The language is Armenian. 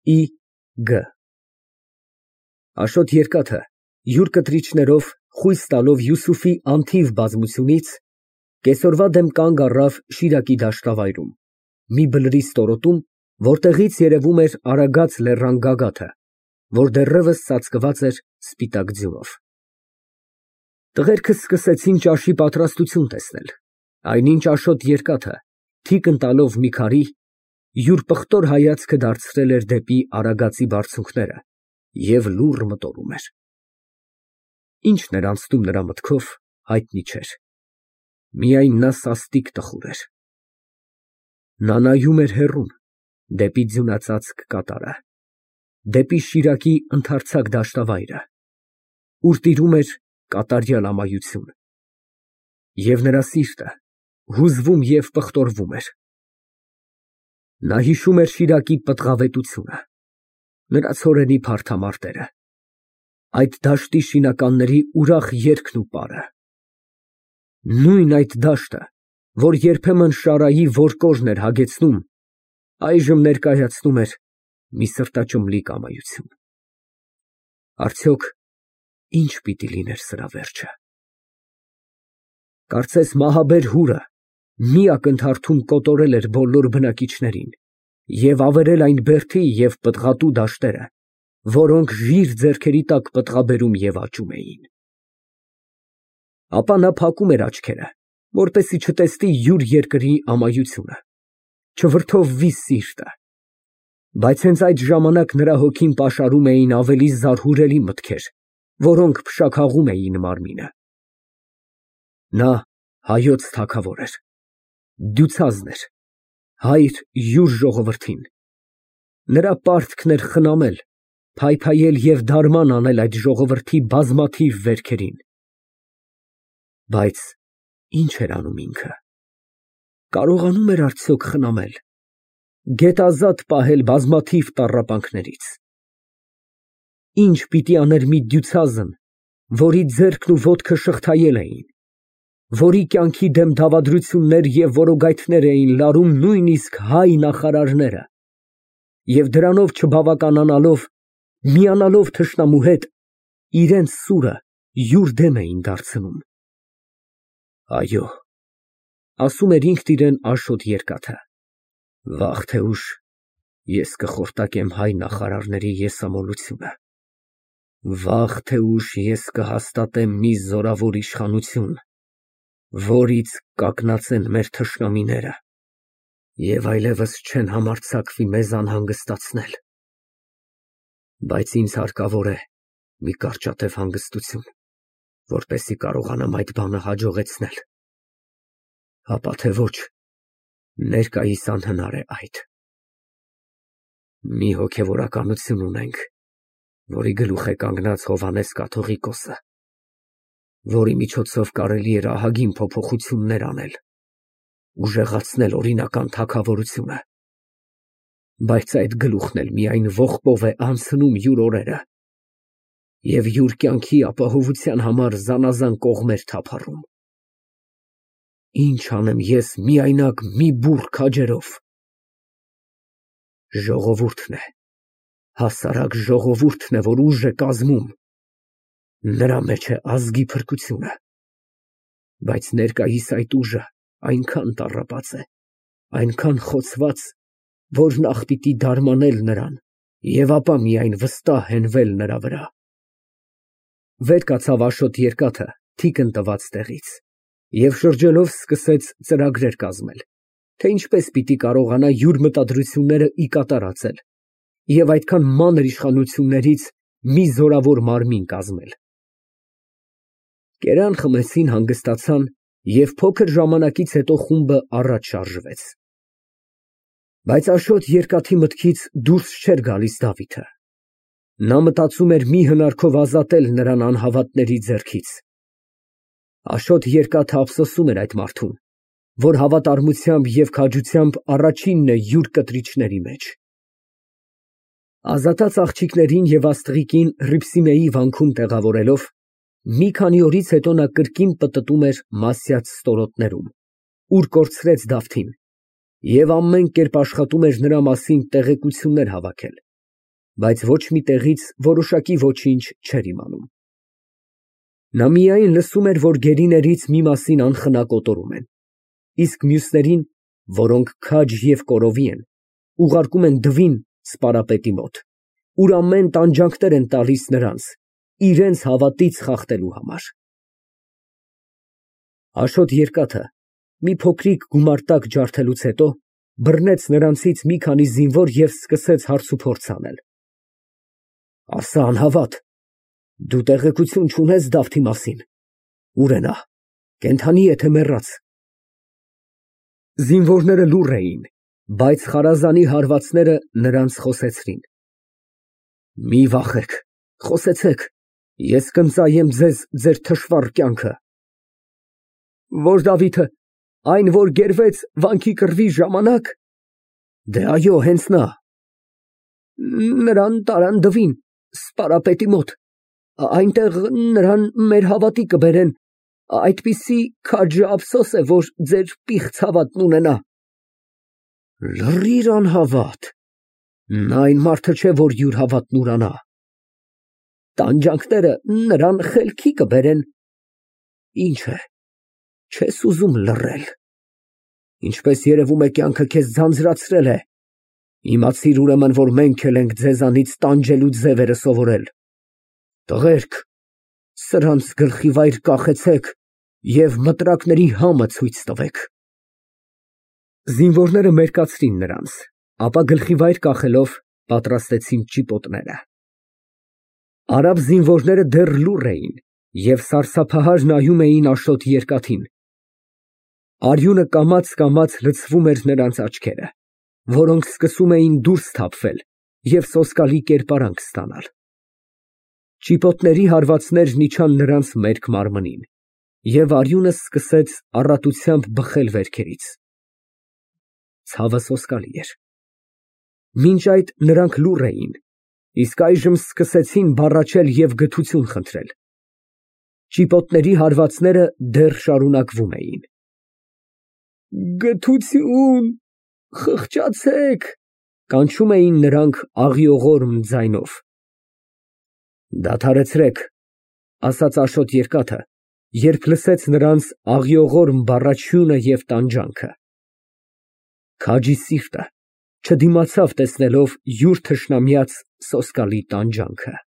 Ի. Գ Աշոտ երկաթը յուր կտրիչներով խույս տալով Յուսուֆի անթիվ բազմությունից կեսօրվա դեմ կանգ առավ Շիրակի դաշտավայրում, մի բլրի ստորոտում, որտեղից երևում էր Արագած լեռան գագաթը, որ դեռևս ծածկված էր սպիտակ ձյունով։ Տղերքը սկսեցին ճաշի պատրաստություն տեսնել, այնինչ Աշոտ երկաթը, թիկն տալով մի քարի, յուր պղտոր հայացքը դարձրել էր դեպի Արագածի բարձունքները և լուռ մտորում էր։ Ինչն էր անցնում նրա մտքով, հայտնի չէր, միայն նա սաստիկ տխուր էր։ Նա նայում էր հեռուն, դեպի ձյունածածկ կատարը, դեպի Շիրակի ընդարձակ դաշտավայրը, ուր տիրում էր կատարյալ ամայություն, և նրա սիրտը հուզվում և պղտորվում էր։ Նա հիշում էր Շիրակի պտղավետությունը, նրա ցորենի փարթամարտերը, այդ դաշտի շինականների ուրախ երգն ու պարը, նույն այդ դաշտը, որ երբեմն շարայի որկորն էր հագեցնում, այժմ ներկայացնում էր մի սրտաճմլիկ ամայություն։ Արդյոք ինչ պիտի լիներ սրա վերջը։ Կարծես մահաբեր հուրը մի ակնթարթում կոտորել էր բոլոր բնակիչներին և ավերել այն բերդի և պտղատու դաշտերը, որոնք ժիր ձեռքերի տակ պտղաբերում և աճում էին։ Ապա նա փակում էր աչքերը, որպեսզի չտեսնի յուր երկրի ամայությունը, չվրդովվի սիրտը, բայց հենց այդ ժամանակ նրա հոգին պաշարում էին ավելի զարհուրելի մտքեր, որոնք փշաքաղում էին մարմինը։ Նա հայոց թագավոր էր, դյուցազն էր, հայր յուր ժողովրդին, նրա պարտքն էր խնամել, փայփայել և դարման անել այդ ժողովրդի բազմաթիվ վերքերին։ Բայց ի՞նչ էր անում ինքը, կարողանո՞ւմ էր արդյոք խնամել, գետազատ պահել բազմաթիվ տառապանքներից։ Ի՞նչ պիտի աներ մի դյուցազն, որի ձեռքն ու ոտքը շղթայել էին, որի կյանքի դեմ դավադրություններ և որոգայթներ էին լարում նույնիսկ հայ նախարարները, և դրանով չբավականանալով, միանալով թշնամու հետ, իրենց սուրը յուր դեմ էին դարձնում։ Այո, ասում էր ինքն իրեն Աշոտ երկաթը, վաղ թե ուշ ես կխորտակեմ հայ նախարարների եսամոլությունը, վաղ թե ուշ ես կհաստատեմ մի զորավոր իշխանություն, որից կակնածեն մեր թշնամիները և այլևս չեն համարձակվի մեզ անհանգստացնել։ Բայց ինձ հարկավոր է մի կարճատև հանգստություն, որպեսզի կարողանամ այդ բանը հաջողեցնել, ապա թե ոչ, ներկայիս անհնար է այդ։ Մի հոգևորականություն ունենք, որի գլուխ է կանգնած Հովհաննես կաթողիկոսը, որի միջոցով կարելի էր ահագին փոփոխություններ անել, ուժեղացնել օրինական թագավորությունը, բայց այդ գլուխն էլ միայն ողբով է անցնում յուր օրերը և յուր կյանքի ապահովության համար զանազան կողմեր թափառում։ Ինչ անեմ ես միայնակ մի բուռ քաջերով։ Ժողովուրդն է, հասարակ ժողովուրդն է, որ ուժ է կազմում, նրա մեջ է ազգի փրկությունը, բայց ներկայիս այդ ուժը այնքան տառապած է, այնքան խոցված, որ նախ պիտի դարմանել նրան և ապա միայն վստահ հենվել նրա վրա։ Վեր կացավ Աշոտ երկաթը թիկն տված տեղից և շրջելով սկսեց ծրագրեր կազմել, թե ինչպես պիտի կարողանա յուր մտադրությունները ի կատար ածել և այդքան մանր իշխանություններից մի զորավոր մարմին կազմել։ Կերան խմեցին, հանգստացան և փոքր ժամանակից հետո խումբը առաջ շարժվեց։ Բայց Աշոտ երկաթի մտքից դուրս չէր գալիս Դավիթը։ Նա մտածում էր մի հնարքով ազատել նրան անհավատների ձեռքից։ Աշոտ երկաթը ափսոսում էր այդ մարդուն, որ հավատարմությամբ և քաջությամբ առաջինն է յուր կտրիչների մեջ։ Ազատած աղջիկներին և աստղիկին Ռիփսիմեի վանքում տեղավորելով, մի քանի օրից հետո նա կրկին պտտում էր Մասյաց ստորոտներում, ուր կորցրեց Դավթին, և ամեն կերպ աշխատում էր նրա մասին տեղեկություններ հավաքել, բայց ոչ մի տեղից որոշակի ոչինչ չէր իմանում։ Նա միայն լսում էր, որ գերիներից մի մասին անխնա կոտորում են, իսկ մյուսներին, որոնք քաջ և կորովի են, ուղարկում են դվին սպարապետի մոտ, ուր ամեն տանջանքներ են տալիս նրանց, իրենց հավատից խախտելու համար։ Աշոտ երկաթը մի փոքրիկ գումարտակ ջարդելուց հետո բռնեց նրանցից մի քանի զինվոր և սկսեց հարցուփորձ անել։ Ասա անհավատ, դու տեղեկություն չունես Դավթի մասին, ուր է նա, կենդանի է թե մեռած։ Զինվորները լուռ էին, բայց խարազանի հարվածները նրանց խոսեցրին։ Մի վախեք, խոսեցեք, ես կընծայեմ ձեզ ձեր թշվառ կյանքը։ Ո՞ր Դավիթը, այն, որ գերվեց վանքի կռվի ժամանակ։ Դե այո, հենց նա։ Նրան տարան դվին, սպարապետի մոտ, այնտեղ նրան մեր հավատի կբերեն, այդպիսի քաջը ափսոս է, որ ձեր պիղծ հավատն ունենա։ Լռիր անհավատ, նա այն մարդը չէ, որ յուր հավատն ուրանա։ Տանջանքները նրան խելքի կբերեն։ Ինչ է, չես ուզում լռել։ Ինչպես երևում է, կյանքը քեզ ձանձրացրել է։ Իմացիր ուրեմն, որ մենք էլ ենք ձեզանից տանջելու ձևերը սովորել։ Տղերք, սրանց գլխիվայր կախեցեք և մտրակների համը ցույց տվեք։ Զինվորները մերկացրին նրանց, ապա գլխիվայր կախելով պատրաստեցին ճիպոտները։ Արաբ զինվորները դեռ լուռ էին և սարսափահար նայում էին Աշոտ երկաթին։ Արյունը կամաց լցվում էր նրանց աչքերը, որոնք սկսում էին դուրս թափվել և սոսկալի կերպարանք ստանալ։ Ճիպոտների հարվածներն իջան նրանց մերկ մարմնին, և արյունը սկսեց առատությամբ բխել վերքերից։ Ցավը սոսկալի էր։ Մինչ այդ նրանք լուռ էին, իսկ այժմ սկսեցին բառաչել և գթություն խնդրել։ Ճիպոտների հարվածները դեռ շարունակվում էին։ Գթություն, խղճացեք, կանչում էին նրանք աղիողորմ ձայնով։ Դադարեցրեք, ասաց Աշոտ երկաթը, երբ լսեց նրանց աղիողորմ բառաչյունը և տանջանքը։ Քաջի սիրտը չդիմացավ տեսնելով յուր թշնամյաց սոսկալի տանջանքը։